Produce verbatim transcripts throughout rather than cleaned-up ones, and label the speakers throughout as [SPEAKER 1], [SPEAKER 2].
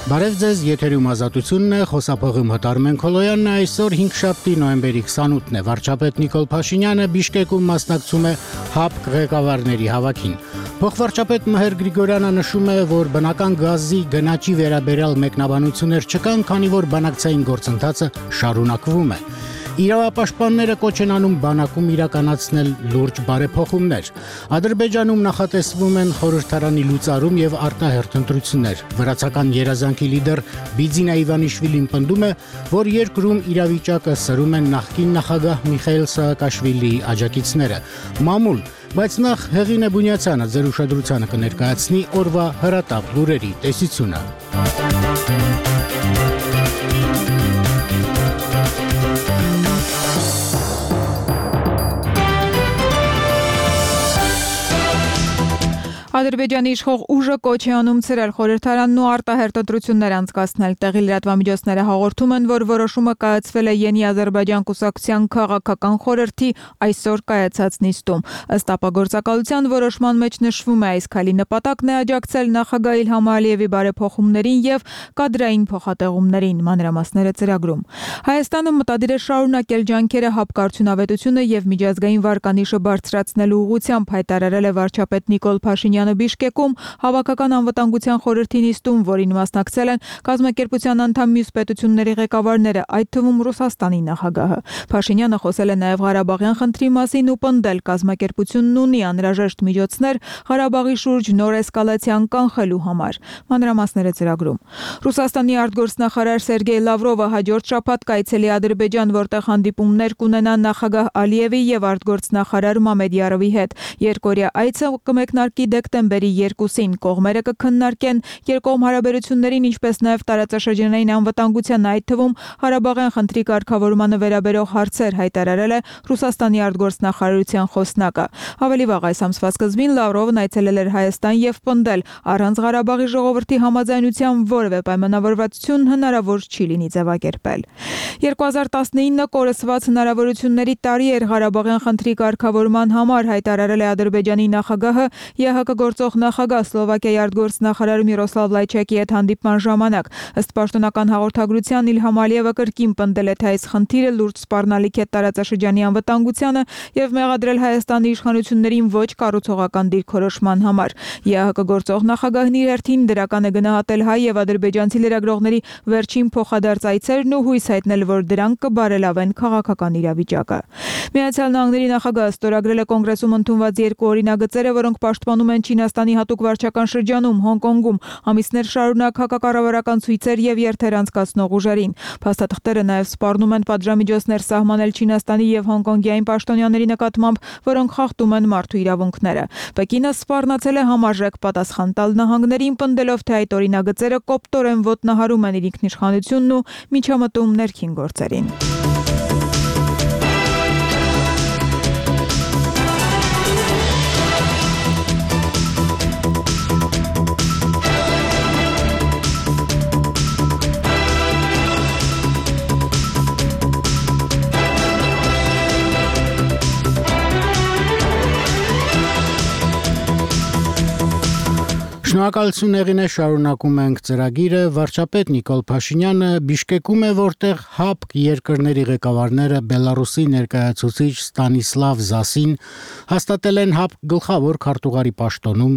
[SPEAKER 1] Բարև ձեզ, եթերում ազատությունն է, խոսափողում Հտարմեն Քոլոյանն է, այսօր հինգշաբթի նոյեմբերի քսանութն է, վարչապետ Նիկոլ Փաշինյանը Բիշկեկում մասնակցում է ՀԱՊԿ ղեկավարների հավաքին։ Փոխվարչապետ Մհեր Գրիգորյանը նշում է, որ բնական գազի գնաճի վերաբերյալ մեկնաբանություններ չկան, քանի որ բանակցային գործընթացը շարունակվում է։ Իրավապաշտպանները կոչ են անում բանակում իրականացնել լուրջ բարեփոխումներ։ Ադրբեջանում նախատեսվում են խորհրդարանի լուծարում եւ արտահերթ ընտրություններ։ Վրացական երազանքի լիդեր Բիձինա Իվանիշվիլին պնդում է, որ երկրում իրավիճակը սրում են նախկին նախագահ Միխայիլ Սաակաշվիլիի աջակիցները։ Մամուլ, բայց նախ Հեղինե Բունյացյանը ձեր ուշադրությանը կներկայացնի օրվա հրատապ լուրերի տեսությունը։
[SPEAKER 2] Ադրբեջանի իշխող ուժը կոչ է անում ցրել խորհրդարանն ու արտահերթ ընտրություններ անցկացնել։ Տեղի լրատվամիջոցները հաղորդում են, որ որոշումը կայացվել է Յենի Ադրբեջան կուսակցության քաղաքական խորհրդի այսօր կայացած նիստում։ Ըստ ապագործակալության որոշման մեջ նշվում է, այս քայլի նպատակն է աջակցել նախագահ Իլհամ Ալիևի բարեփոխումներին եւ կադրային փոխհատեղումներին, մանրամասները ծրագրում։ Հայաստանը մտադիր է շարունակել ջանքերը ՀԱՊԿ արդյունավետությունը եւ միջազգային վարկանիշը բարձրացնելու ուղղությամբ, հայտարարել է վարչապետ Նիկոլ Փաշինյանը Բիշկեկում հավաքական անվտանգության խորհրդի նիստում, որին մասնակցել են կազմակերպության անդամ մյուս պետությունների ղեկավարները, այդ թվում Ռուսաստանի նախագահը։ Փաշինյանը խոսել է նաև Ղարաբաղյան խնդրի մասին ու պնդել, կազմակերպությունն ունի անհրաժեշտ միջոցներ Ղարաբաղի շուրջ նոր էսկալացիան կանխելու համար։ Մանրամասները ծրագրում։ Ռուսաստանի արտգործնախարար Սերգեյ Լավրովը հաջորդ շաբաթ կայցելի Ադրբեջան, որտեղ հանդիպումներ կունենա նախագահ Ալիևի եւ արտգործնախարար Մամեդյարովի հետ։ Երկօրյա այցը կմեկնարկի դեկտեմբերի երկուսին, կողմերը կքննարկեն երկկողմ հարաբերություններին, ինչպես նաև տարածաշրջանային անվտանգության, այդ թվում Ղարաբաղյան խնդրի կարգավորմանը վերաբերող հարցեր, հայտարարել է Ռուսաստանի արտգործնախարարության խոսնակը։ Ավելի վաղ այս ամսվա սկզբին Լավրովն այցելել էր Հայաստան եւ պնդել, առանց Ղարաբաղի ժողովրդի համաձայնության որևէ պայմանավորվածություն հնարավոր չի լինի ձևակերպել։ երկու հազար տասնինը կորսված հնարավորությունների տարի էր Ղարաբաղյան խնդրի կարգավորման համար, հայտարարել է Ադրբեջանի նախագահը ԵՀԿ գործող նախագահ Սլովակիայի արտգործնախարար Միրոսլավ Լայչակի հետ հանդիպման ժամանակ։ Ըստ պաշտոնական հաղորդագրության Իլհամ Ալիևը կրկին պնդել է, թե այս խնդիրը լուրջ սպառնալիք է տարածաշրջանի անվտանգությանը եւ մեղադրել Հայաստանի իշխանություններին ոչ կառուցողական դիրքորոշման համար։ ԵՀԿ գործող նախագահն իր հերթին դրական է գնահատել հայ եւ ադրբեջանցի լրագրողների վերջին փոխադարձ այցերն ու հույս հայտնել, որ դրանք կբարելավեն քաղաքական իրավիճակը։ Միացյալ Նահանգների նախագահը ստորագրել է կոնգրեսում ընդունված երկու օրինագծերը, որոնք պաշտպանում են Չինաստանի հատուկ վարչական շրջանում Հոնկոնգում ամիսներ շարունակ հակակառավարական ցույցեր եւ երթեր անցկացնող ուժերին։ Փաստաթղթերը նաեւ սպառնում են պատժամիջոցներ սահմանել Չինաստանի եւ Հոնկոնգյային պաշտոնյաների նկատմամբ, որոնք խախտում են մարդու իրավունքները։ Պեկինը սպառնացել է համարժեք պատասխան տալ նահանգներին, պնդելով, թե այդ օրինագծերը կոպտորեն ոտնահարում են իր ինքնիշխանությունն ու միջամտում ներքին գործերին։
[SPEAKER 1] Շնորհակալություն Հեղինե, շարունակում ենք ծրագիրը։ Վարչապետ Նիկոլ Փաշինյանը Բիշկեկում է, որտեղ ՀԱՊԿ երկրների ղեկավարները Բելարուսի ներկայացուցիչ Ստանիսլավ Զասին հաստատել են ՀԱՊԿ գլխավոր քարտուղարի պաշտոնում,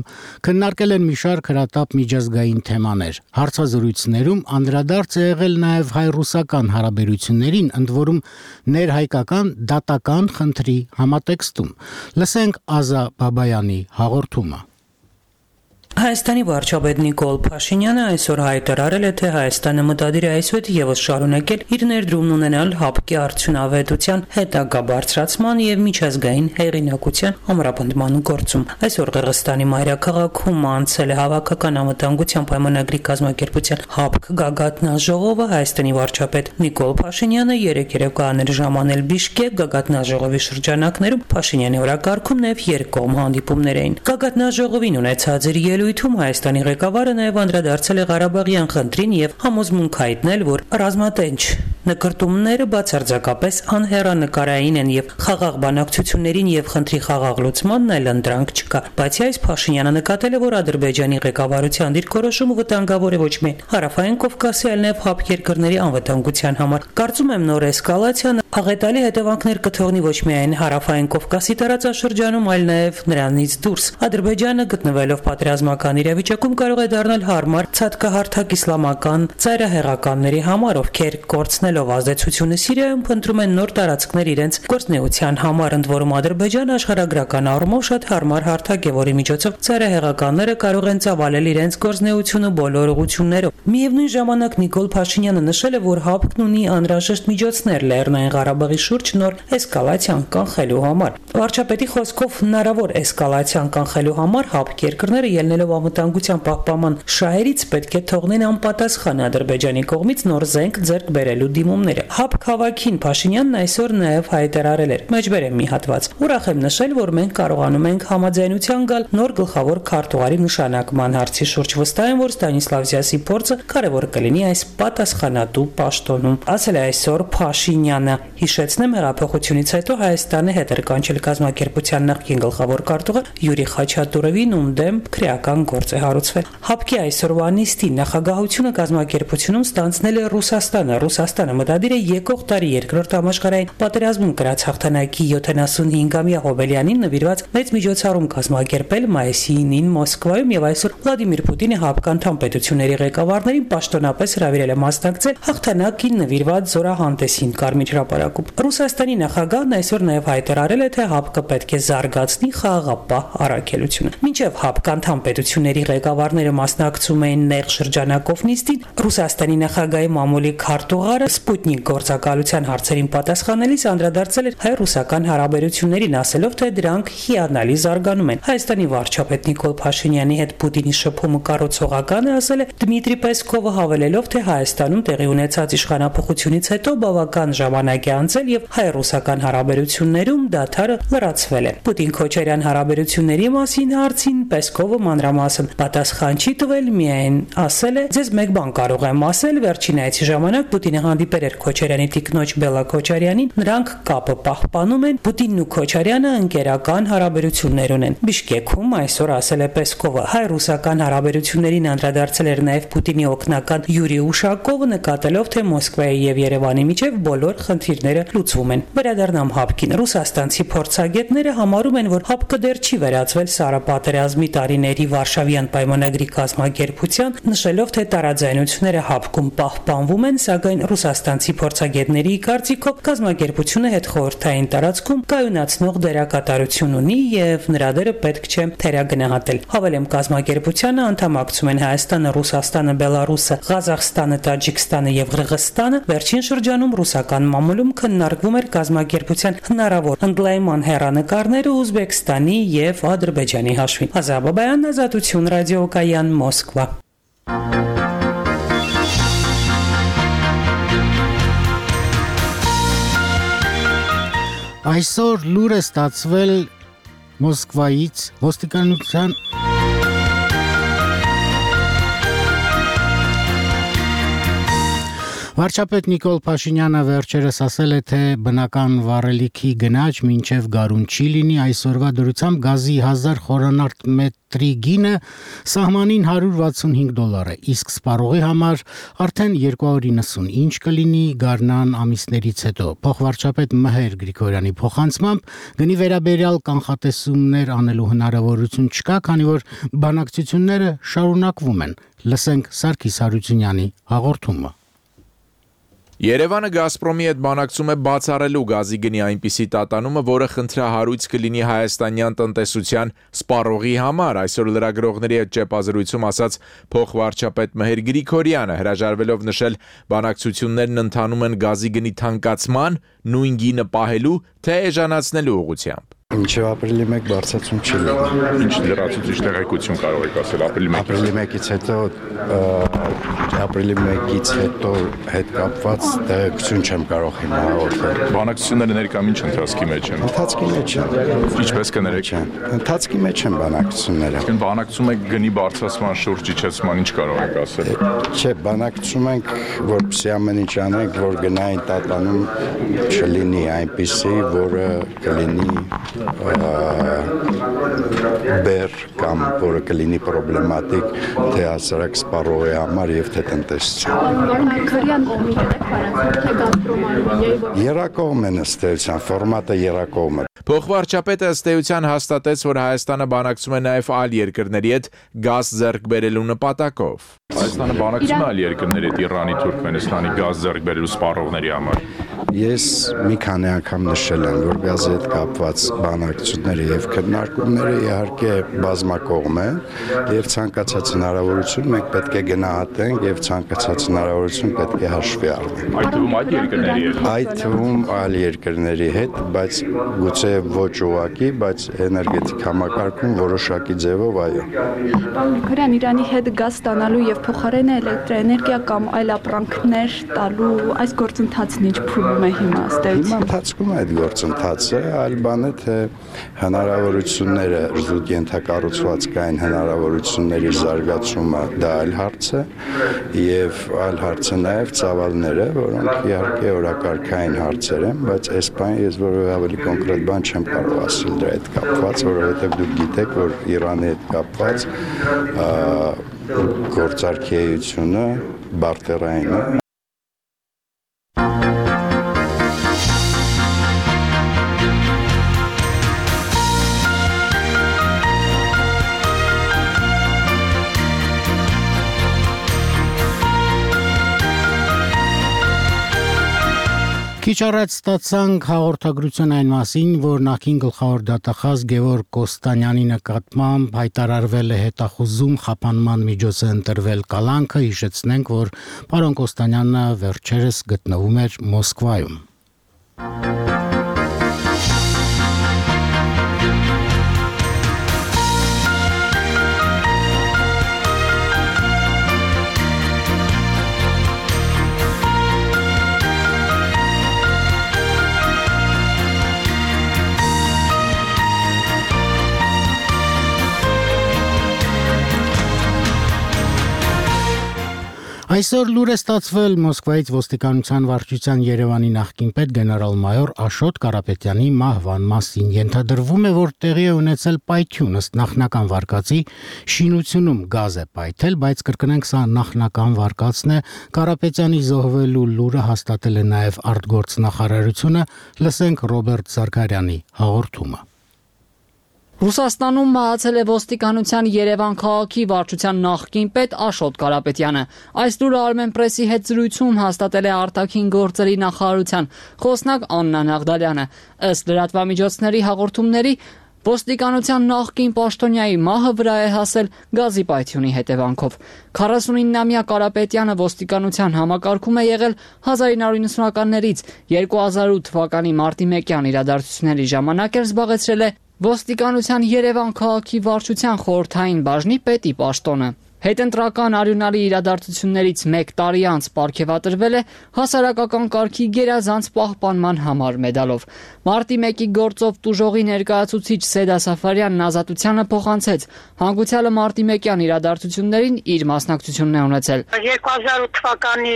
[SPEAKER 1] քննարկել են մի շարք հրատապ միջազգային թեմաներ։ Հարցազրույցներում անդրադարձ է եղել նաև հայ-ռուսական հարաբերություններին, ընդ որում ներհայկական դատական խնդրի համատեքստում։ Լսենք Ազա Բաբայանի հաղորդումը։
[SPEAKER 3] Հայաստանի վարչապետ Նիկոլ Փաշինյանը այսօր հայտարարել է, թե Հայաստանը մտադիր է այսօր եւս շարունակել իր ներդրումն ունենալ ՀԱՊԿ-ի արդյունավետության հետագա բարձրացման եւ միջազգային հեղինակության ամրապնդման գործում։ Այսօր Qirgizstani մայրաքաղաքում անցել է հավաքական անվտանգության պայմանագրի կազմակերպության ՀԱՊԿ գագաթնաժողովը։ Հայաստանի վարչապետ Նիկոլ Փաշինյանը երեկ երեկոյան ժամանել Բիշկեկ գագաթնաժողովի շրջանակներում Փաշինյանի օրակարգում նաեւ երկկողմ հանդիպումներ էին։ Գագաթնաժողովին ունեցած իր ելույթում Հայաստանի ղեկավարը նաև անդրադարձել է Ղարաբաղյան խնդրին եւ համոզմունք հայտնել, որ ռազմատենչ Նկրտումները բացարձակապես անհեռանկարային են եւ խաղաղ բանակցություններին եւ խնդրի խաղաղ լուծմանն այլ ընտրանք չկա, բացի այս Փաշինյանը նկատել է, որ Ադրբեջանի ղեկավարության դիրքորոշումը վտանգավոր է ոչ միայն Հարավային Կովկասի, այլ նաեւ ՀԱՊԿ երկրների անվտանգության համար։ Կարծում եմ նոր էսկալացիան աղետալի հետևանքներ կթողնի ոչ միայն Հարավային Կովկասի տարածաշրջանում, այլ նաեւ նրանից դուրս։ Ադրբեջանը գտնվելով պատերազմական իրավիճակում կարող է դառնալ հարմար ցածկահարթակ իսլամական ծայրահեղականների համար, ովքեր կորցնելով ազդեցությունը Սիրիայում փնտրում են նոր տարածքներ իրենց գործնեության համար, ընդ որում Ադրբեջանը աշխարհագրական առումով շատ հարմար հարթակ է, որի միջոցով ծայրահեղականները կարող են ծավալել իրենց գործնեությունը բոլոր ուղղություններով։ Միևնույն ժամանակ Նիկոլ Փաշինյանը նշել է, որ ՀԱՊԿ-ն ունի անհրաժեշտ միջոցներ Լեռնային Ղարաբաղի շուրջ նոր էսկալացիան կանխելու համար։ Վարչապետի խոսքով հնարավոր էսկալացիան կանխելու համար ՀԱՊԿ երկրները ելնելով անվտանգության պահպանման շահերից պետք է թողնեն անպատասխան Ադրբեջանի կողմից նոր զենք ձեռք բերելու դիմումները։ ՀԱՊԿ հավաքին Փաշինյանն այսօր նաև հայտարարել էր. «Մեջբերեմ մի հատված։ Ուրախ եմ նշել, որ մենք կարողանում ենք համաձայնության գալ նոր գլխավոր քարտուղարի նշանակման հարցի շուրջ։ Վստահ եմ, որ Ստանիսլավզյասի փորձը կարևոր կլինի այս պատասխանատու պաշտոնում», ասել է այսօր Փաշինյանը։ Հիշեցնեմ, հեղափոխությունից հետո Հայաստանը հետ էր կանչել կազմակերպության նախկին գլխավոր քարտուղար Յուրի Խաչատուրովին, ում դեմ քրեական գործ է հարուցվել։ ՀԱՊԿ-ի այսօրվա նիստին նախագահությունը կազմակերպությունում ստանձնել է Ռուսաստանը։ Ռուսաստանը մտադիր է եկող տարի երկրորդ համաշխարհային պատերազմում կրած հաղթանակի յոթանասունհինգամյա հոբելյանին նվիրված մեծ միջոցառում կազմակերպել մայիսի ինին Մոսկվայում, եւ այսօր Վլադիմիր Պուտինը ՀԱՊԿ անդամ պետությունների ղեկավարներին պաշտոնապես հրավիրել է մասնակցել հաղթանակին նվիրված զորահանդեսին Կարմիր հրապարակում։ Ռուսաստանի նախագահն այսօր նաև հայտարարել է, թե ՀԱՊԿ պետք է զարգացնի խաղաղապահ առաքելությունը։ Մինչև ՀԱՊԿ անդամ պետությունների ղեկավարները մասնակցում էին նեղ շրջանակով նիստին, Ռուսաստանի նախագահի մամուլի քարտուղարը Սպուտնիկ գործակալության հարցերին պատասխանելիս անդրադարձել էր հայ-ռուսական հարաբերություններին, ասելով, թե դրանք հիանալի զարգանում են։ Հայաստանի վարչապետ Նիկոլ Փաշինյանի հետ Պուտինի շփումը կառուցողական է, ասել է Դմիտրի Պեսկովը, հավելելով, թե Հայաստանում տեղի ունեցած իշխանափոխությունից հետո բավական ժամանակ է անցել եւ հայ-ռուսական հարաբերություններում դադարը լրացվել է։ Պուտին-Քոչարյան հարաբերությունների մասին հարցին Պեսկովը մանրամասն պատասխան չի տվել, միայն ասել է. «Ձեզ մեկ բան կարող եմ ասել, վերջին այցի ժամանակ Պուտինը հանդիպել էր Քոչարյանի տիկնոջ Բելա Քոչարյանին, նրանք կապը պահպանում են, Պուտինն ու Քոչարյանը ընկերական հարաբերություններ ունեն»։ Բիշկեքում այսօր ասել է Պեսկովը։ Հայ-ռուսական հարաբերություններին անդրադարձել էր նաև Պուտինի օգնական Յուրի Ուշակովը, նկատելով, թե Մոսկվայի եւ Երևանի միջև բոլոր խնդիրները լուծվում են։ Վերադառնամ ՀԱՊԿ-ին։ Ռուսաստանցի փորձագետները համարում են, որ ՀԱՊԿ-ը դեռ չի վերածվել Սարապատերազմի տարիների Վարշավյան պայմանագրի կազմակերպության, նշելով, թե տարաձայնությունները ՀԱՊԿ-ում պահպանվում են, սակայն ռուսաստանցի փորձագետների կարծիքով կազմակերպությունը հետխորհրդային տարածքում կայունացնող դերակատարություն ունի եւ նրա դերը պետք չէ թերագնահատել։ Հավելեմ, կազմակերպությանը անդամակցում են Հայաստանը, Ռուսաստանը, Բելարուսը, Ղազախստանը, Տաջիկստանը եւ Ղրղստանը։ Վերջին շրջանում ռուսական մամուլում քննարկվում էր կազմակերպության հնարավոր ընդլայնման հեռանկարները Ուզբեկստանի եւ Ադրբեջանի հաշվին։ Ազա Բաբայան, Ազատություն ռադիոկայան, Մոսկվա։
[SPEAKER 1] Այսօր լուր է ստացվել Մոսկվայից ոստիկանության Վարչապետ Նիկոլ Փաշինյանը վերջերս ասել է, թե բնական վառելիքի գնաճ մինչև գարուն չի լինի, այսօրվա դրությամբ գազի հազար խորանարդ մետրի գինը սահմանին հարյուր վաթսունհինգ դոլար է, իսկ սպառողի համար արդեն երկու հարյուր իննսուն, ինչ կլինի գարնան ամիսներից հետո։ Փոխվարչապետ Մհեր Գրիգորյանի փոխանցմամբ գնի վերաբերյալ կանխատեսումներ անելու հնարավորություն չկա, քանի որ բանակցությունները շարունակվում են։ Լսենք Սարգիս Հարությունյանի հաղորդումը։
[SPEAKER 4] Երևանը Գազպրոմի հետ բանակցում է բացառելու գազի գնի այնպիսի տատանումը, որը խնդրահարույց կլինի հայաստանյան տնտեսության սպառողի համար, այսօր լրագրողների հետ ճեպազրույցում ասաց փոխվարչապետ Մհեր Գրիգորյանը, հրաժարվելով նշել բանակցություններն ընթանում են գազի գնի թանկացման, նույն գինը պահելու, թե էժանացնելու ուղղությամբ։
[SPEAKER 5] Մինչև ապրիլի մեկ բարձրացում չի լինի։
[SPEAKER 6] Ինչ լրացուցիչ տեղեկություն կարող եք ասել ապրիլի մեկից։
[SPEAKER 5] Ապրիլի մեկից հետո ապրիլի մեկից հետո հետ կապված տեղեկություն չեմ կարող հիմա հաղորդել։
[SPEAKER 6] Բանակցությունները ներկայում ինչ ընթացքի մեջ են։
[SPEAKER 5] Ընթացքի մեջ են։
[SPEAKER 6] Ինչպես կներեք։
[SPEAKER 5] Ընթացքի մեջ են բանակցությունները։
[SPEAKER 6] Ինչ բանակցում եք գնի բարձրացման շուրջ իջեցման, ինչ կարող եք ասել։
[SPEAKER 5] Չէ, բանակցում ենք, որպեսզի ամեն ինչ անենք, որ գնային տատանում չլինի այնպիսի, որը կլինի բեր կամ որը կլինի պրոբլեմատիկ թե հասարակ սպառողի համար եւ թե տնտեսության։ Երակողմ են ըստ էության, ֆորմատը երակողմ է։
[SPEAKER 4] Փոխվարչապետը ըստ էության հաստատեց, որ Հայաստանը բանակցում է նաև այլ երկրների հետ գազ ձեռք բերելու նպատակով։
[SPEAKER 6] Հայաստանը բանակցում է այլ երկրների հետ Իրանի, Թուրքմենստանի գազ ձեռք բերելու սպառողների համար։
[SPEAKER 5] Ես մի քանի անգամ նշել եմ, որ գազի հետ կապված բանակցությունները եւ քննարկումները իհարկե բազմակողմ են եւ ցանկացած հնարավորություն մենք պետք է գնահատենք եւ ցանկացած հնարավորություն պետք է հաշվի առնենք։
[SPEAKER 6] Այդ թվում այլ երկրների հետ։
[SPEAKER 5] Այդ թվում այլ երկրների հետ, բայց գուցե ոչ ուղղակի, բայց էներգետիկ համակարգում որոշակի ձևով այո։
[SPEAKER 7] Պարոն Գրիգորյան, Իրանի հետ գազ ստանալու եւ փոխարենը էլեկտրոէներգիա կամ այլ ապրանքներ տալու այս գործընթացն ինչ փուլում է հիմա ըստ էության։
[SPEAKER 5] Հիմա ընթացքում է այդ գործընթացը, այլ բան է թե հնարավորությունները զուտ ենթակառուցվածքային հնարավորությունների զարգացումը դա այլ հարց է եւ այլ հարց է նաեւ ծավալները, որոնք իհարկե օրակարգային հարցեր են, բայց այս բանը ես որևէ ավելի կոնկրետ բան չեմ կարող ասել դրա հետ կապված, որովհետեւ դուք գիտեք, որ Իրանի հետ կապված գործարքի էությունը բարտերային է։
[SPEAKER 1] Քիչ առաջ ստացանք հաղորդագրություն այն մասին, որ նախին գլխավոր դատախազ Գևորգ Կոստանյանի նկատմամբ հայտարարվել է հետախուզում խափանման միջոց է ընտրվել կալանքը, հիշեցնենք, որ պարոն Կոստանյանը վերջերս գտնվում էր Մոսկվայում։ Այսօր լուր է ստացվել Մոսկվայից ոստիկանության վարչության Երևանի նախկին պետ գեներալ-մայոր Աշոտ Կարապետյանի մահվան մասին։ Ենթադրվում է, որ տեղի է ունեցել պայթյուն, ըստ նախնական վարկածի շինությունում գազ է պայթել, բայց կրկնենք սա նախնական վարկածն է։ Կարապետյանի զոհվելու լուրը հաստատել է նաև արտգործնախարարությունը, լսենք Ռոբերտ Զարգարյանի հաղորդումը։
[SPEAKER 8] Ռուսաստանում մահացել է ոստիկանության Երևան քաղաքի վարչության նախկին պետ Աշոտ Կարապետյանը։ Այս լուրը Armenpress-ի հետ զրույցում հաստատել է արտաքին գործերի նախարարության խոսնակ Աննա Նաղդալյանը։ Ըստ լրատվամիջոցների հաղորդումների, ոստիկանության նախկին պաշտոնյայի մահը վրա է հասել գազի պայթյունի հետևանքով։ քառասունիննամյա Կարապետյանը ոստիկանության համակարգում է եղել հազար ինը հարյուր նվթականներից, երկու հազար ութ թվականի մարտի մեկյան իրադարձությունների ժամանակ էր զբաղեցրել է ոստիկանության Երևան քաղաքի վարչության խորհրդային բաժնի պետի պաշտոնը։ Հետընտրական արյունալի իրադարձություններից մեկ տարի անց պարգևատրվել է հասարակական կարգի գերազանց պահպանման համար մեդալով։ Մարտի մեկի գործով տուժողի ներկայացուցիչ Սեդա Սաֆարյանն ազատությանը փոխանցեց հանգուցյալը մարտի մեկյան իրադարձություններին իր մասնակցությունն է ունեցել։
[SPEAKER 9] երկու հազար ութ թվականի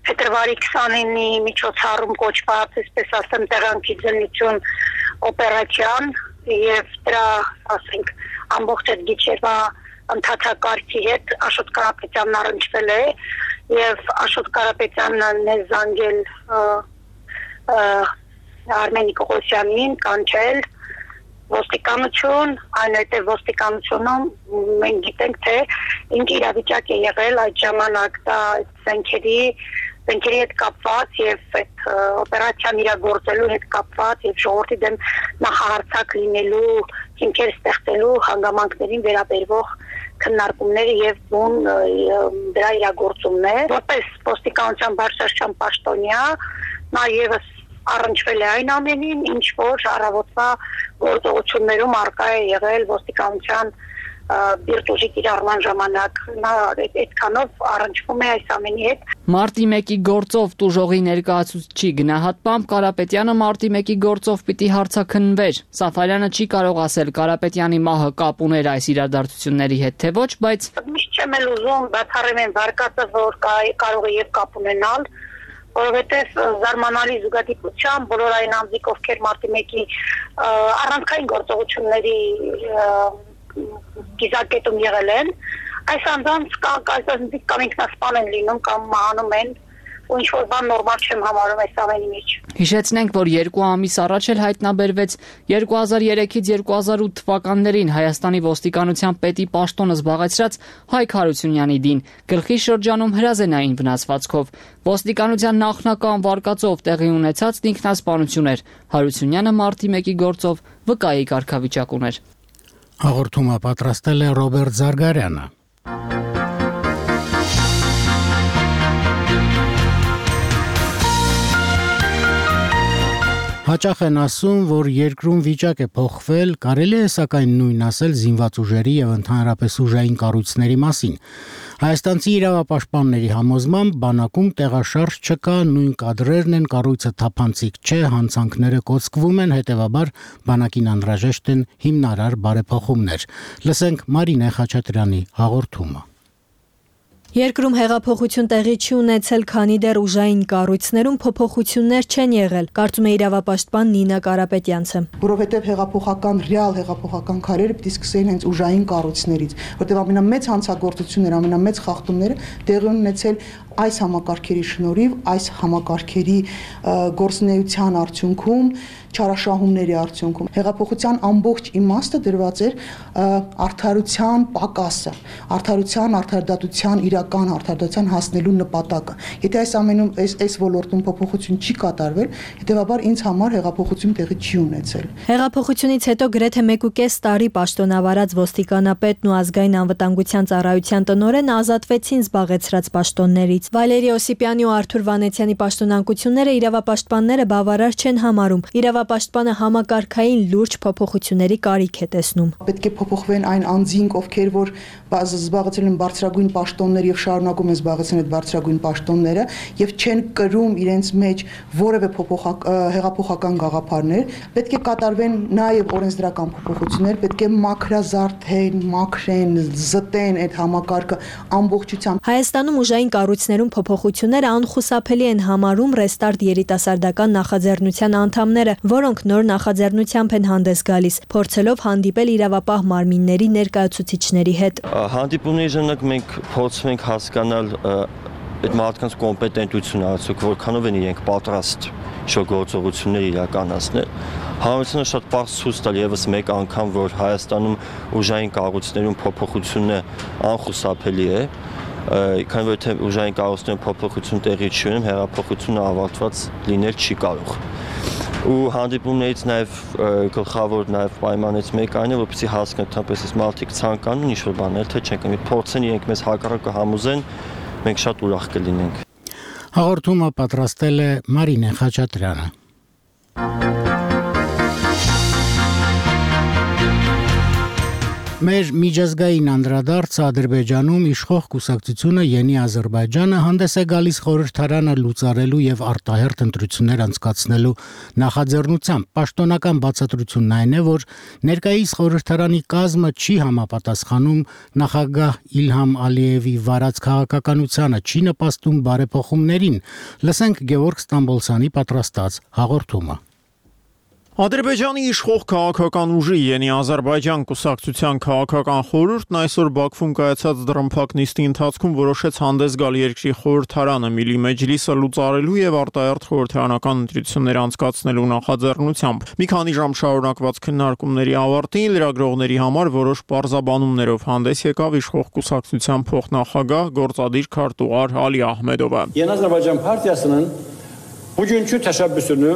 [SPEAKER 9] փետրվարի քսանինի միջոցառում կոչված, այսպես ասեմ, տեղանքի ձնություն օպերացիան եւ դրա, ասենք, ամբողջ այդ գիչերվա ընդհանրակարգի հետ Աշոտ Կարապետյանն առնչվել է եւ Աշոտ Կարապետյանն է զանգել Արմենիկ Օղոսյանին, կանչել ոստիկանություն, այնուհետև ոստիկանությունում մենք գիտենք, թե ինչ իրավիճակ է եղել այդ ժամանակ, դա զենքերի Զենքերի հետ կապված եւ այդ օպերացիան իրագործելու հետ կապված եւ ժողովրդի դեմ նախահարցակ լինելու, հիմքեր ստեղծելու հանգամանքներին վերաբերող քննարկումները եւ բուն դրա իրագործումն է։ Որպես ոստիկանության բարձրաստիճան պաշտոնյա նա եւս առնչվել է այն ամենին, ինչ որ առավոտվա գործողություններում արկա է եղել ոստիկանության բիրտուժի կիրառման ժամանակ, նա այդքանով առնչվում է այս ամենի հետ։
[SPEAKER 8] Մարտի մեկի գործով տուժողի ներկայացուցչի գնահատմամբ Կարապետյանը մարտի մեկի գործով պիտի հարցաքննվեր։ Սաֆարյանը չի կարող ասել Կարապետյանի մահը կապ ուներ այս իրադարձությունների հետ, թե ոչ, բայց
[SPEAKER 9] միշտ չեմ էլ ուզում բացառեմ այն վարկածը, որ կարող է եւ կապ ունենալ, որովհետև զարմանալի զուգադիպությամբ բոլոր այն անձիկ, ովքեր մարտի մեկի առանցքային գործողությունների գիզակետում եղել են, այս անձանց կամ ինքնասպան են լինում, կամ մահանում են, ու ինչ-որ բան նորմալ չեմ համարում այս ամենի մեջ։
[SPEAKER 8] Հիշեցնենք, որ երկու ամիս առաջ էլ հայտնաբերվեց երկու հազար երեքից երկու հազար ութ թվականներին Հայաստանի ոստիկանության պետի պաշտոնը զբաղեցրած Հայկ Հարությունյանի դին, գլխի շրջանում հրազենային վնասվածքով։ Ոստիկանության նախնական վարկածով տեղի ունեցած ինքնասպանություն էր։ Հարությունյանը մարտի մեկի գործով վկայի կարգավիճակ ուներ։
[SPEAKER 1] Հաղորդումը պատրաստել է Ռոբերտ Զարգարյանը։ Հաճախ են ասում, որ երկրում վիճակ է փոխվել, կարելի է սակայն նույն ասել զինված ուժերի եւ ընդհանրապես ուժային կառույցների մասին։ Հայաստանցի իրավապաշտպանների համոզմամբ բանակում տեղաշարժ չկա, նույն կադրերն են, կառույցը թափանցիկ չէ, հանցանքները կոծկվում են, հետեւաբար բանակին անհրաժեշտ են հիմնարար բարեփոխումներ։ Լսենք Մարինե Խաչատրյանի հաղորդումը։
[SPEAKER 10] Երկրում հեղափոխություն տեղի չի ունեցել, քանի դեռ ուժային կառույցներում փոփոխություններ չեն եղել, կարծում է իրավապաշտպան Նինա Կարապետյանցը։
[SPEAKER 11] Որովհետև հեղափոխական ռեալ հեղափոխական քայլերը պիտի սկսեին հենց ուժային կառույցներից, որտեղ ամենամեծ հանցագործությունները, ամենամեծ խախտումները տեղի ունեցել այս համակարգերի շնորհիվ, այս համակարգերի գործունեության արդյունքում, չարաշահումների արդյունքում հեղափոխության ամբողջ իմաստը դրված էր արդարության պակասը, արդարության, արդարադատության, իրական արդարադատության հասնելու նպատակը։ Եթե այս ամենում այս այս ոլորտում փոփոխություն չի կատարվել, հետեւաբար ինձ համար հեղափոխություն տեղի չի ունեցել։
[SPEAKER 10] Հեղափոխությունից հետո գրեթե մեկ ու կես տարի պաշտոնավարած ոստիկանապետն ու ազգային անվտանգության ծառայության տնօրենը ազատվեցին զբաղեցրած պաշտոններից։ Վալերի Օսիպյանի ու Արթուր Վանեցյանի պաշտոնանկությունները իրավապաշտպանները բավարար չեն համարում։ Իրավապաշտպանը համակարգային լուրջ փոփոխությունների կարիք է տեսնում։
[SPEAKER 11] Պետք է փոփոխվեն այն անձինք, ովքեր որ զբաղեցրել են բարձրագույն պաշտոններ եւ շարունակում են զբաղեցնել այդ բարձրագույն պաշտոնները եւ չեն կրում իրենց մեջ որևէ հեղափոխական գաղափարներ, պետք է կատարվեն նաեւ օրենսդրական փոփոխություններ, պետք է մաքրազարդեն, մաքրեն, զտեն այդ համակարգը ամբողջությամբ։
[SPEAKER 10] Հայաստանում ուժային կառույցներում փոփոխությունները անխուսափելի են համարում Ռեստարտ երիտասարդական նախաձեռնության անդամները, որոնք նոր նախաձեռնությամբ են հանդես գալիս, փորձելով հանդիպել իրավապահ մարմինների ներկայացուցիչների հետ։
[SPEAKER 12] Հանդիպումների ժամանակ մենք փորձում ենք հասկանալ այդ մարդկանց կոմպետենտությունը, արդյոք որքանով են իրենք պատրաստ շոգործողություններ իրականացնել։ Հանրությունը շատ պարզ ցույց տալ եւս մեկ անգամ, որ Հայաստանում ուժային կառույցներում փոփոխությունը անխուսափելի է, քանի որ թե ուժային կառույցներում փոփոխություն տեղի չի ունենում, հեղափոխությունը ավարտված լինել չի կարող։ Ու հանդիպումներից նաև գլխավոր նաև պայմաններից մեկը այն է, որպեսզի հասկանան, թեպետ այս մարդիկ ցանկանում ինչ-որ բաներ, թե չեն կարող փորձեն իրենք մեզ հակառակը համոզեն, մենք շատ ուրախ կլինենք։
[SPEAKER 1] Հաղորդումը պատրաստել է Մարինե Խաչատրյանը։ Մեր միջազգային անդրադարձը Ադրբեջանում իշխող կուսակցությունը Յենի Ադրբեջանը հանդես է գալիս խորհրդարանը լուծարելու եւ արտահերթ ընտրություններ անցկացնելու նախաձեռնությամբ։ Պաշտոնական բացատրությունն այն է, որ ներկայիս խորհրդարանի կազմը չի համապատասխանում նախագահ Իլհամ Ալիևի վարած քաղաքականությանը, չի նպաստում բարեփոխումներին։ Լսենք Գևորգ Ստամբոլցյանի պատրաստած հաղորդումը։
[SPEAKER 13] Ադրբեջանի իշխող քաղաքական ուժի Յենի Ադրբեջան կուսակցության քաղաքական խորհուրդն այսօր Բաքվում կայացած դռնփակ նիստի ընթացքում որոշեց հանդես գալ երկրի խորհրդարանը Միլի Մեջլիսը լուծարելու եւ արտահերթ խորհրդարանական ընտրություններ անցկացնելու նախաձեռնությամբ։ Մի քանի ժամ շարունակված քննարկումների ավարտին լրագրողների համար որոշ պարզաբանումներով հանդես եկավ իշխող կուսակցության փոխնախագահ գործադիր քարտուղար Ալի Ահմեդովը։
[SPEAKER 14] Յենի Ադրբեջան partiyasının bugünkü təşəbbüsünü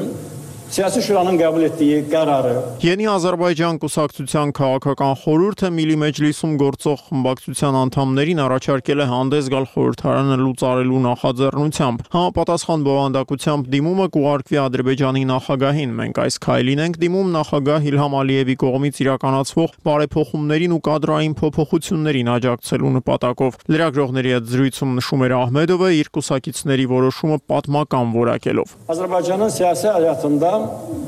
[SPEAKER 14] Siyasi Şura'nın qəbul etdiyi qərarı
[SPEAKER 13] Yeni Azərbaycan կուսակցության քաղաքական խորհուրդը Միլի Մեջլիսում գործող խմբակցության անդամներին առաջարկել է հանդես գալ խորհրդարանը լուծարելու նախաձեռնությամբ։ Համապատասխան բովանդակությամբ դիմումը կուղարկվի Ադրբեջանի նախագահին։ Մենք այս քայլին ենք դիմում նախագահ Իլհամ Ալիևի կողմից իրականացվող բարեփոխումներին ու կադրային փոփոխություններին աջակցելու նպատակով։ Լրագրողների հետ զրույցում նշում էր Ահմեդովը իր կուսակիցների որոշումը պատմական որակելով։
[SPEAKER 14] Azərbaycanın siyasi həyatında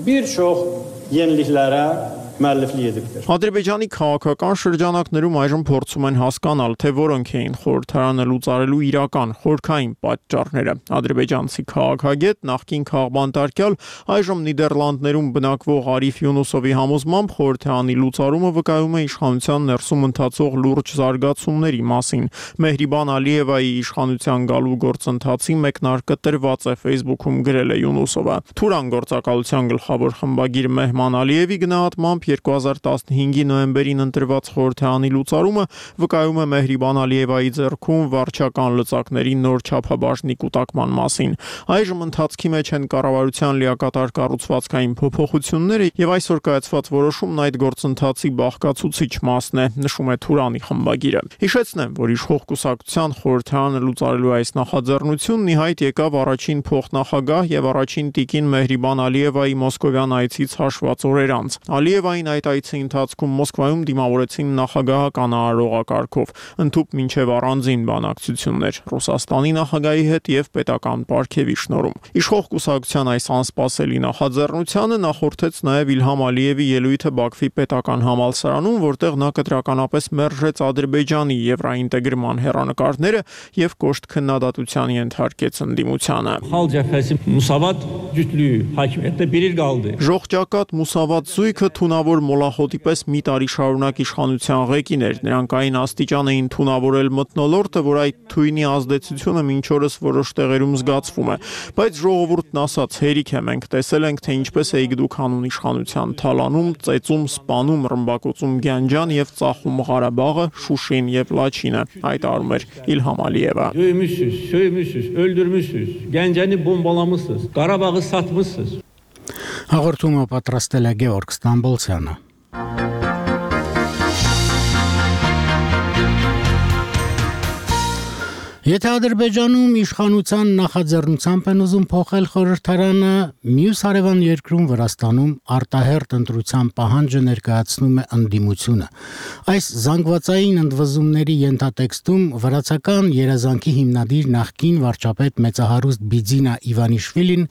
[SPEAKER 14] bir çox yeniliklərə müəlliflik edibdir.
[SPEAKER 13] Ադրբեջանի քաղաքական շրջանակներում այժմ փորձում են հասկանալ, թե որոնք էին խորհրդարանը լուծարելու իրական խորքային պատճառները։ Ադրբեջանցի քաղաքագետ նախկին քաղբանտարկյալ այժմ Նիդերլանդներում բնակվող Արիֆ Յունուսովի համոզմամբ խորհրդարանի լուծարումը վկայում է իշխանության ներսում ընթացող լուրջ զարգացումների մասին։ Մեհրիբան Ալիևայի իշխանության գալու գործընթացի մեկնարկը տրված է Facebook-ում գրել է Յունուսովը։ Թուրան գործակալության գլխավոր խմբագիր Մեհման Ալիևի գնահատմամբ երկու հազար տասնհինգի նոյեմբերին ընտրված խորհրդարանի լուծարումը վկայում է Մեհրիբան Ալիևայի ձեռքում վարչական լծակների նոր չափաբաժնի կուտակման մասին։ Այժմ ընթացքի մեջ են կառավարության լիակատար կառուցվածքային փոփոխությունները եւ այսօր կայացված որոշումն այդ գործընթացի բաղկացուցիչ մասն է, նշում է Թուրանի խմբագիրը։ Հիշեցնեմ, որ իշխող կուսակցության խորհրդարանը լուծարելու այս նախաձեռնությունն ի հայտ եկավ առաջին փոխնախագահ եւ առաջին տիկին Մեհրիբան Ալիևայի մոսկովյան այցից հաշված օրեր անց։ Ալիևային այդ այցի ընթացքում Մոսկվայում դիմավորեցին նախագահական արարողակարգով, ընդհուպ մինչև առանձին բանակցություններ Ռուսաստանի նախագահի հետ եւ պետական պարգևի շնորհում։ Իշխող կուսակցության այս անսպասելի նախաձեռնությանը նախորդեց նաեւ Իլհամ Ալիևի ելույթը Բաքվի պետական համալսարանում, որտեղ նա կտրականապես մերժեց Ադրբեջանի եվրոինտեգրման հեռանկարները եւ կոշտ քննադատության ենթարկեց ընդդիմությանը։
[SPEAKER 15] Xalq cəbhəsi Musavat cütlüyü hakimiyyətdə bir il qaldı.
[SPEAKER 13] Ժողջակատ Մուսավատ զույգը թունավոր մոլախոտի պես մի տարի շարունակ իշխանության ղեկին էր։ Նրանք այն աստիճան էին թունավորել մթնոլորտը, որ այդ թույնի ազդեցությունը մինչ օրս որոշ տեղերում զգացվում է։ Բայց ժողովուրդն ասաց՝ հերիք է, մենք տեսել ենք, թե ինչպես էիք դուք հանուն իշխանության թալանում, ծեծում, սպանում, ռմբակոծում Գյանջան եւ ծախում Ղարաբաղը, Շուշին եւ Լաչինը։ Հայտարարում էր Իլհամ Ալիևը։
[SPEAKER 15] Dövmüşsüz, sövmüşsüz, öldürmüşsüz, Gəncəni bombalamışsınız, Qarabağı satmışsınız.
[SPEAKER 1] Հաղորդումը պատրաստել է Գեորգ Ստամբոլցյանը։ Եթե Ադրբեջանում իշխանության նախաձեռնությամբ են ուզում փոխել խորհրդարանը, մյուս հարևան երկրում Վրաստանում արտահերտ ընտրության պահանջը ներկայացնում է ընդդիմությունը։ Այս զանգվածային ընդվզումների ենթատեքստում վրացական երազանքի հիմնադիր նախկին վարչապետ մեծահարուստ Բիձինա Իվանիշվիլին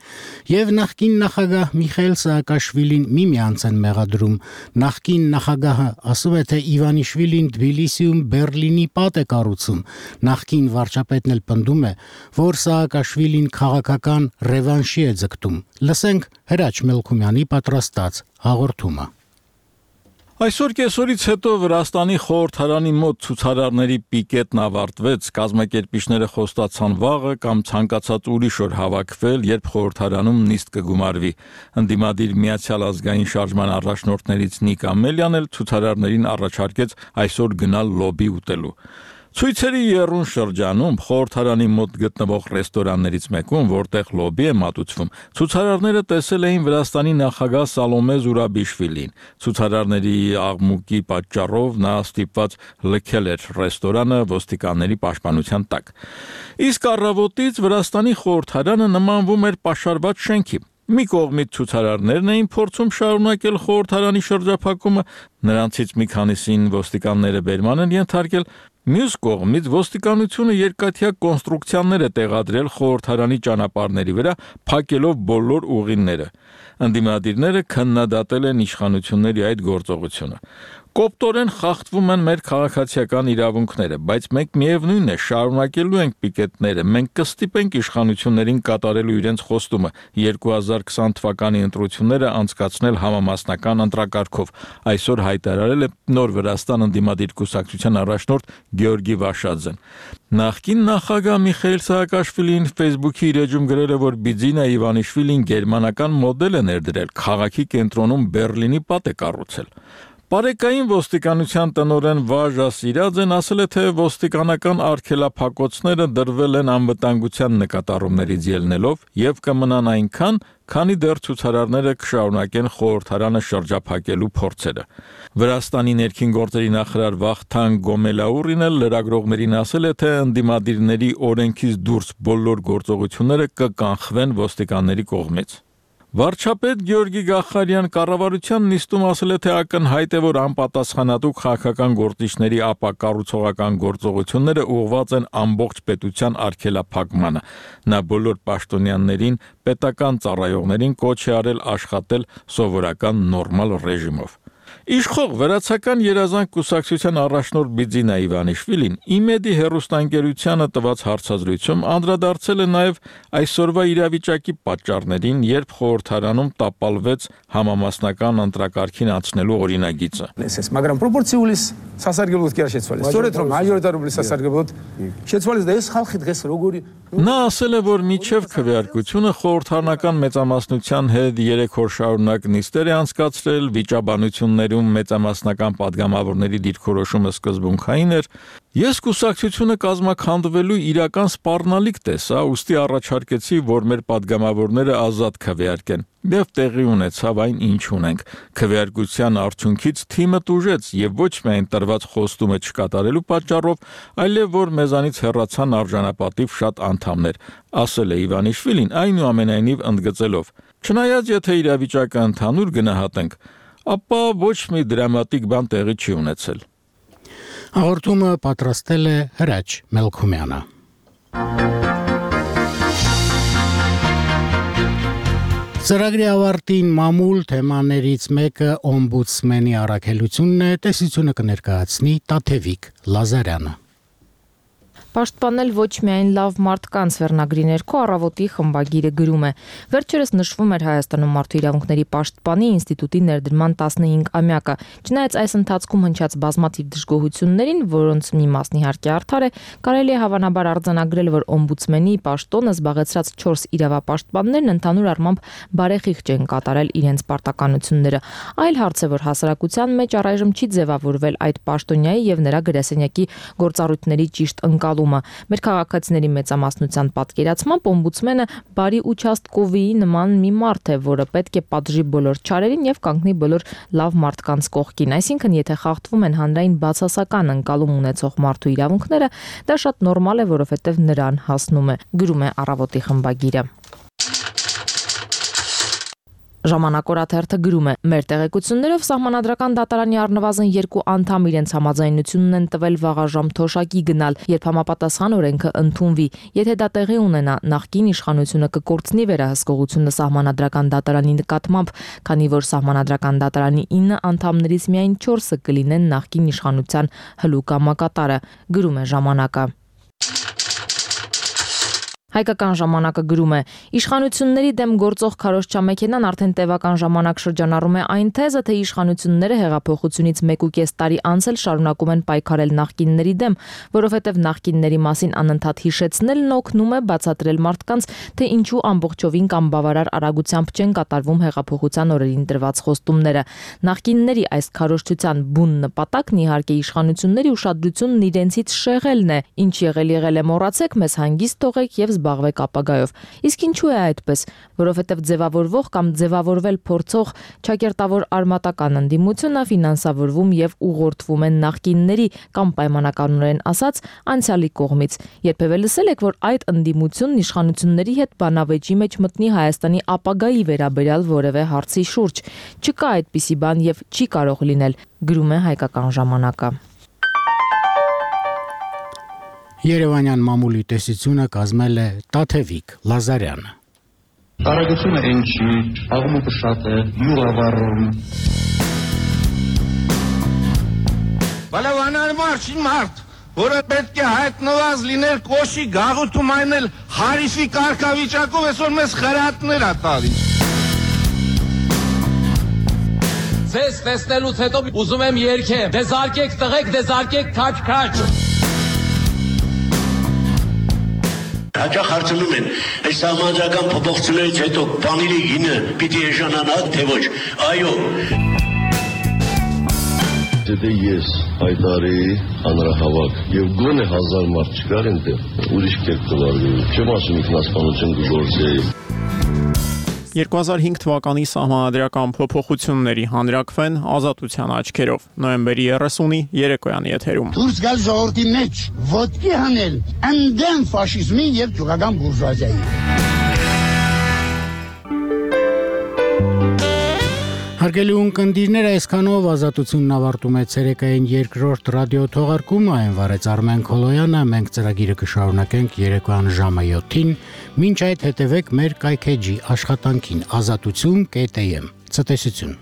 [SPEAKER 1] եւ նախկին նախագահ Միխայիլ Սաակաշվիլին միմյանց են մեղադրում։ Նախկին նախագահը ասում է, թե Իվանիշվիլին Թբիլիսիում Բերլինի պատ է կառուցում։ Նախկին վարչապետն էլ պնդում է, որ Սաակաշվիլին քաղաքական ռևանշի է ձգտում։ Լսենք Հրաչ Մելքումյանի պատրաստած հաղորդումը։
[SPEAKER 16] Այսօր կեսօրից հետո Վրաստանի խորհրդարանի մոտ ցուցարարների պիկետն ավարտվեց, կազմակերպիչները խոստացան վաղը կամ ցանկացած ուրիշ օր հավաքվել, երբ խորհրդարանում նիստ կգումարվի։ Ընդդիմադիր Միացյալ ազգային շարժման առաջնորդներից Նիկ Ամելյան էլ ցուցարարներին առաջարկեց այսօր գնալ լոբի ուտելու։ Ցույցերի եռուն շրջանում խորհրդարանի մոտ գտնվող ռեստորաններից մեկում, որտեղ լոբի է մատուցվում, ցուցարարները տեսել էին Վրաստանի նախագահ Սալոմե Զուրաբիշվիլին։ Ցուցարարների աղմուկի պատճառով նա ստիպված լքել էր ռեստորանը ոստիկանների պաշտպանության տակ։ Իսկ առավոտից Վրաստանի խորհրդարանը նմանվում էր պաշարված շենքի։ Մի կողմից ցուցարարներն էին փորձում շարունակել խորհրդարանի շրջափակումը, նրանցից մի քանիսին ոստիկանները բերման են ենթարկել, մյուս կողմից ոստիկանությունը երկաթյա կոնստրուկցիաներ է տեղադրել խորհրդարանի ճանապարհների վրա, փակելով բոլոր ուղիները։ Ընդդիմադիրները քննադատել են իշխանությունների այդ գործողությունը։ Կոպտորեն խախտվում են մեր քաղաքացիական իրավունքները, բայց մենք միևնույն է շարունակելու ենք պիկետները, մենք կստիպենք իշխանություններին կատարելու իրենց խոստումը երկու հազար քսան թվականի ընտրությունները անցկացնել համամասնական ընտրակարգով, այսօր հայտարարել է Նոր Վրաստան ընդդիմադիր կուսակցության առաջնորդ Գեորգի Վաշաձեն։ Նախկին նախագահ Միխայիլ Սաակաշվիլին Facebook-ի իր էջում գրել է, որ Բիձինա Իվանիշվիլին գերմանական մոդել է ներդրել, քաղաքի կենտրոնում Բերլինի պատ է կառուցել։ Պարեկային ոստիկանության տնօրեն Վաժա Սիրաձեն ասել է, թե ոստիկանական արգելափակոցները դրվել են անվտանգության նկատառումներից ելնելով եւ կմնան այնքան, քանի դեռ ցուցարարները կշարունակեն խորհրդարանը շրջափակելու փորձերը։ Վրաստանի ներքին գործերի նախարար Վախթանգ Գոմելաուրին էլ լրագրողներին ասել է, թե ընդդիմադիրների օրենքից դուրս բոլոր գործողությունները կկանխվեն ոստիկանների կողմից։ Վարչապետ Գյորգի Գախարյան կառավարության նիստում ասել է, թե ակնհայտ է, որ անպատասխանատու քաղաքական գործիչների ապակառուցողական գործողությունները ուղղված են ամբողջ պետության արգելափակմանը։ Նա բոլոր պաշտոնյաներին, պետական ծառայողներին կոչ է արել աշխատել սովորական նորմալ ռեժիմով։ Իշխող վերացական երազանք կուսակցության առաջնորդ Բիձինա Իվանիշվիլին իմեդի հեռուստաընկերությանը տված հարցազրույցում անդրադարձել է նաև այսօրվա իրավիճակի պատճառներին, երբ խորհրդարանում տապալվեց համամասնական ընտրակարգին անցնելու օրինագիծը։
[SPEAKER 17] Მაგრამ პროპორციulis სასარგებლოდ კი არ შეცვალეს. სწორედ რომ მაჟორიტარული სასარგებლოდ შეცვალეს და ეს ხალხი დღეს როგორი
[SPEAKER 16] Նա ասել է, որ միջև քվեարկությունը խորհրդարանական մեծամասնության հետ երեք օր շարունակ նիստեր է անցկացրել, վիճաբանություններում մեծամասնական падգամավորների դիրքորոշումը սկզբունքային էր։ Ես կուսակցությունը կազմաքանդվելու իրական սպառնալիք տեսա, ուստի առաջարկեցի, որ մեր падգամավորները ազատ քվեարկեն։ Եվ տեղի ունեցավ այն, ինչ ունենք։ Քվեարկության արդյունքից թիմը տուժեց եւ ոչ միայն տրված խոստումը չկատարելու պատճառով, այլև որ մեզանից հեռացան արժանապատիվ շատ անդամներ, ասել է Իվանիշվիլին, այնուամենայնիվ ընդգծելով. Չնայած եթե իրավիճակը ընդհանուր գնահատենք, ապա ոչ մի դրամատիկ բան տեղի չի ունեցել։
[SPEAKER 1] Հաղորդումը պատրաստել է Հրաչ Մելքումյանը։ Ծրագրի ավարտին մամուլ թեմաներից մեկը օմբուդսմենի առաքելությունն է, տեսությունը կներկայացնի Տաթևիկ Լազարյանը։
[SPEAKER 18] Պաշտպանել ոչ միայն լավ մարդկանց վերնագրի ներքո առավոտի խմբագիրը գրում է. Վերջերս նշվում էր Հայաստանում մարդու իրավունքների պաշտպանի ինստիտուտի ներդրման տասնհինգամյակը։ Չնայած այս ընթացքում հնչած բազմաթիվ դժգոհություններին, որոնց մի մասն իհարկե արդար է, կարելի է հավանաբար արձանագրել, որ օմբուդսմենի պաշտոնը զբաղեցրած չորս իրավապաշտպաններն ընդհանուր առմամբ բարեխիղճ են կատարել իրենց պարտականությունները։ Այլ հարց է, որ հասարակության մեջ առայժմ չի ձևավորվել այդ պաշտոնյայի եւ նրա գրասենյակի գործառույթների ճիշտ ընկալումը։ Մեր քաղաքացիների մեծամասնության պատկերացմամբ օմբուդսմենը բարի участковի նման մի մարդ է, որը պետք է պատժի բոլոր չարերին եւ կանգնի բոլոր լավ մարդկանց կողքին։ Այսինքն, եթե խախտվում են հանրային բացասական ընկալում ունեցող մարդու իրավունքները, դա շատ նորմալ է, որովհետեւ նրան հասնում է, գրում է Առավոտի խմբագիրը։ Ժամանակորաթերթը գրում է. Մեր տեղեկություններով Սահմանադրական դատարանի առնվազն երկու անդամ իրենց համաձայնությունն են տվել վաղաժամ թոշակի գնալ, երբ համապատասխան օրենքը ընդունվի։ Եթե դա տեղի ունենա, նախկին իշխանությունը կկորցնի վերահսկողությունը Սահմանադրական դատարանի նկատմամբ, քանի որ Սահմանադրական դատարանի ինը անդամներից միայն չորսը կլինեն նախկին իշխանության հլուկ կամակատարը, գրում է Ժամանակը։ Հայկական ժամանակը գրում է. Իշխանությունների դեմ գործող քարոզչամեքենան արդեն տևական ժամանակ շրջանառում է այն թեզը, թե իշխանությունները հեղափոխությունից մեկ ու կես տարի անց էլ շարունակում են պայքարել նախկինների դեմ, որովհետև նախկինների մասին անընդհատ հիշեցնելն օգնում է բացատրել մարդկանց, թե ինչու ամբողջովին կամ բավարար արագությամբ չեն կատարվում հեղափոխության օրերին տրված խոստումները։ Նախկինների այս քարոզչության բուն նպատակն իհարկե իշխանությունների ուշադրությունն իրենցից շեղելն է, ինչ եղել եղել է մոռացեք, մեզ հանգիստ թողեք եւ զբաղվեք ապագայով։ Իսկ ինչու է այդպես, որովհետև ձևավորվող կամ ձևավորվել փորձող ճակերտավոր արմատական ընդդիմությունը ֆինանսավորվում եւ ուղղորդվում են նախկինների կամ պայմանականորեն ասած անցյալի կողմից։ Երբևէ լսել եք, որ այդ ընդդիմությունն իշխանությունների հետ բանավեճի մեջ մտնի Հայաստանի ապագայի վերաբերյալ որևէ հարցի շուրջ։ Չկա այդպիսի բան եւ չի կարող լինել, գրում է Հայկական ժամանակը։
[SPEAKER 1] Երևանյան մամուլի տեսությունը կազմել է Տաթևիկ Լազարյանը։
[SPEAKER 19] Արագությունը այն չի, աղմուկը շատ է, յուղավառում։
[SPEAKER 20] Բալավանար մարդ, մարդ, որը պետք է հայտնված լինել կոշի գաղութում այնել հարիսի կարգավիճակով, այսօր մեզ խրատներ ա տալիս։
[SPEAKER 21] Ձեզ տեսնելուց հետո ուզում եմ երգեմ, դեզարկեք տղեկ, դեզարկեք քաչ-քաչ։
[SPEAKER 22] Հաճախ հարցնում են, այս սահմանադրական փոփոխություններից հետո բանիրի գինը պիտի էժանանա, թե ոչ։ Այո։
[SPEAKER 2] եթե ես հայտարեի հանրահավաք եւ գոնե հազար մարդ չկար այնտեղ, ուրիշ կերպ կվարվեի։ Չեմ ասում ինքնասպանություն կգործեի։
[SPEAKER 13] երկու հազար հինգ թվականի սահմանադրական փոփոխությունների հանրակրվեն ազատության աչքերով։ Նոյեմբերի երեսունի երեկոյանի եթերում։
[SPEAKER 3] Դուրս գալ ժողովրդի մեջ, ոտքի հանել ընդդեմ ֆաշիզմի եւ ճուղական բուրժուազիայի։
[SPEAKER 1] Հարգելի ունկնդիրներ, այսքանով ազատությունն ավարտում է ցերեկային երկրորդ ռադիո թողարկումը, այն վարեց Արմեն Քոլոյանը, մենք ծրագիրը կշարունակենք երեկոյան ժամը յոթին, մինչ այդ հետևեք մեր կայքեջի աշխատանքին ազատություն կետ էմ, ցտեսություն։